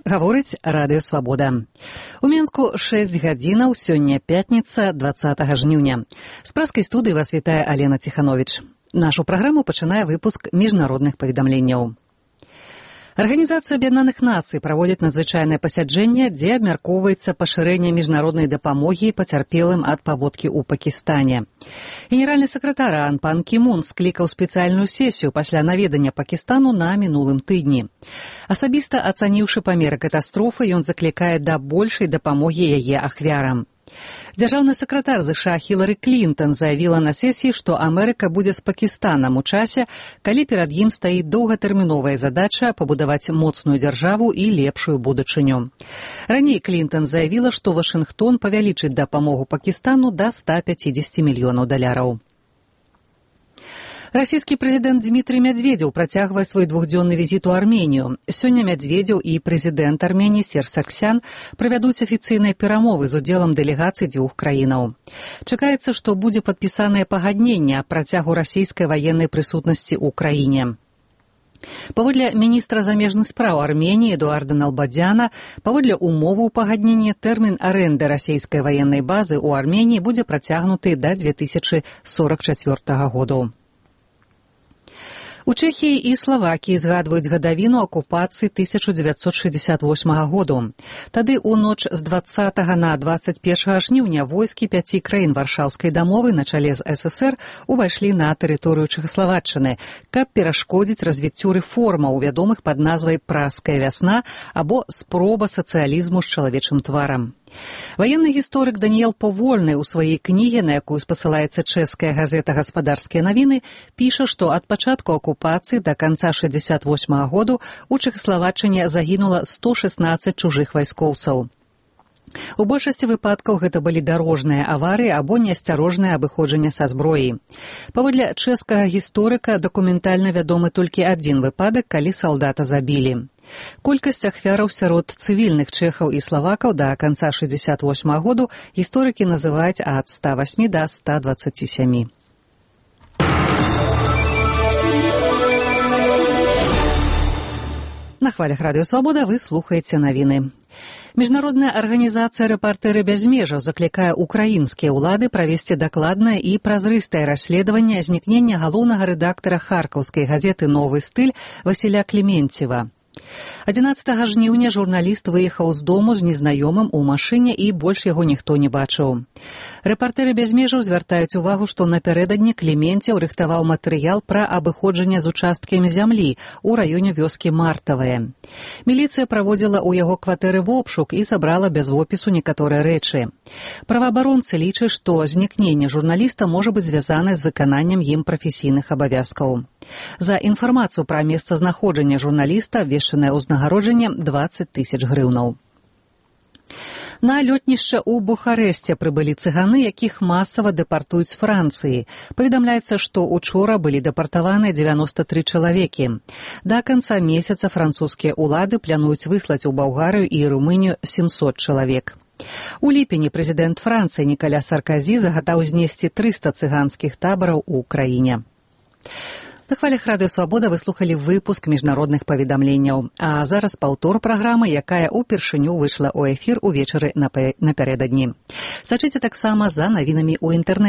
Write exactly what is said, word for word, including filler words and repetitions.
Гаворыць радыё «Свабода». У Менску шэсць гадзінаў, сёння пятніца, дваццатага жніўня. З праскай студыі вас вітае Алена Ціхановіч. Нашу праграму пачынае выпуск міжнародных паведамленняў. Арганізацыя Аб'яднаных Нацый праводзіць надзвычайнае пасяджэнне, дзе абмяркоўваецца пашырэнне міжнароднай дапамогі пацярпелым ад паводкі ў Пакістане. Генеральны сакратар ААН пан Кі Мун склікаў спецыяльную сесію пасля наведання Пакістану на мінулым тыдні. Асабіста ацаніўшы памеры катастрофы, ён заклікае да большай дапамогі яе ахвярам. Дзяржаўны сакратар ЗША Хілары Клінтон заявіла на сесіі, што Амерыка будзе з Пакістанам у часе, калі перад ім стаіць доўгатэрміновая задача пабудаваць моцную дзяржаву і лепшую будучыню. Раней Клінтон заявіла, што Вашынгтон павялічыць дапамогу Пакістану да ста пяцідзесяці мільёнаў даляраў. Расійскі прэзідэнт Дзмітрый Мядзведзеў працягвае свой двухдзённы візіт у Арменію. Сёння Мядзведзеў і прэзідэнт Арменіі Серж Саргсян правядуць афіцыйныя перамовы з удзелам дэлегацый дзвюх краінаў. Чакаецца, што будзе падпісанае пагадненне аб працягу расійскай ваеннай прысутнасці ў краіне. Паводле міністра замежных спраў Арменіі Эдуарда Налбадзяна, паводле умоваў пагаднення тэрмін арэнды расійскай ваеннай базы ў Арменіі будзе працягнуты да дзве тысячы сорак чацвёртага году. У Чэхіі і Славакіі згадваюць гадавіну акупацыі тысяча дзевяцьсот шэсцьдзесят восьмага году. Тады ў ноч з дваццатага на дваццаць першага жніўня войскі пяці краін Варшаўскай дамовы на чале з ССР увайшлі на тэрыторыю Чэхаславаччыны, каб перашкодзіць развіццю рэформаў, вядомых пад назвай «Праская вясна» або «Спроба сацыялізму з чалавечым тварам». Ваенны гісторык Даніэл Повольны ў сваёй кнізе, на якую спасылаецца чэшская газета «Гаспадарскія навіны», піша, што ад пачатку акупацыі да канца шэсцьдзесят восьмага году у Чэхаславаччыне загінула сто шэсцнаццаць чужых вайскоўцаў. У большасці выпадкаў гэта былі дарожныя аварыі або неасцярожнае абыходжанне са зброяй. Паводле чэшскага гісторыка дакументальна вядомы толькі адзін выпадак, калі салдата забілі. Колькасць ахвяраў сярод цывільных чэхаў і славакаў да канца шэсцьдесят восьмага году гісторыкі называюць ад ста васьмі да ста дваццаці сямі. На хвалях радыё «Свабода» вы слухаеце навіны. Міжнародная арганізацыя «Рэпартэры без межаў» заклікае украінскія ўлады правесці дакладнае і празрыстае расследаванне знікнення галоўнага рэдактара харкаўскай газеты «Новы стыль» Васіля Клеменцева. адзінаццатага жніўня журналіст выехаў з дому з незнаёмым у машыне і больш яго ніхто не бачыў. Рэпартэры без межаў звяртаюць увагу, што напярэдадні Клеменцеў рыхтаваў матэрыял пра абыходжанне з участкамі зямлі ў раёне вёскі Мартавае. Міліцыя праводзіла ў яго кватэры вобшук і забрала без опісу некаторыя рэчы. Праваабаронцы лічаць, што знікненне журналіста можа быць звязанае з выкананнем ім прафесійных абавязкаў. За інфармацыю пра месцазнаходжанне журналіста абвешчанае ўзнагароджанне дваццаць тысяч грыўнаў. На лётнішча ў Бухарэсце прыбылі цыганы, якіх масава дэпартуюць з Францыі. Паведамляецца, што учора былі дэпартаваныя дзевяноста тры чалавекі. Да канца месяца французскія ўлады плануюць выслаць у Балгарыю і Румынію сямсот чалавек. У ліпені прэзідэнт Францыі Нікаля Сарказі загадаў знесці трыста цыганскіх табараў у краіне. На хвалях радыё «Свабода» вы слухалі выпуск міжнародных паведамленняў. А зараз паўтор праграмы, якая ўпершыню выйшла ў эфір увечары напярэдадні. Сачыце таксама за навінамі ў інтэрнэце.